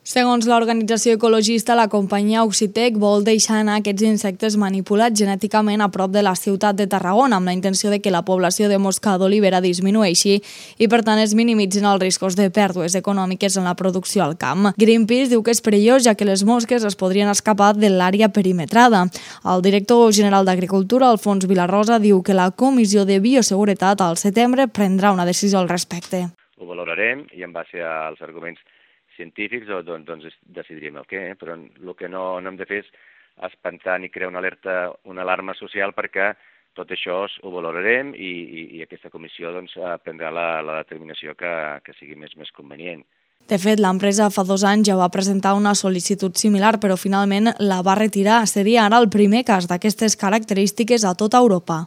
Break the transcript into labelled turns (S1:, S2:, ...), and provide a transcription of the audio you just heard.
S1: Segons l'organització ecologista, la companyia Oxitec vol deixar anar aquests insectes manipulats genèticament a prop de la ciutat de Tarragona, amb la intenció de que la població de mosca d'olivera disminueixi i, per tant, es minimitzin els riscos de pèrdues econòmiques en la producció al camp. Greenpeace diu que és perillós, ja que les mosques es podrien escapar de l'àrea perimetrada. El director general d'Agricultura, Alfons Vilarrosa, diu que la Comissió de Bioseguretat al setembre prendrà una decisió al respecte.
S2: Ho valorarem i en base als arguments científics doncs decidiríem el què, però el que no hem de fer és espantar ni crear una alarma social, perquè tot això ho valorarem i aquesta comissió doncs prendrà la determinació que sigui més convenient.
S1: De fet, l'empresa fa 2 anys ja va presentar una sol·licitud similar, però finalment la va retirar. Seria ara el primer cas d'aquestes característiques a tota Europa.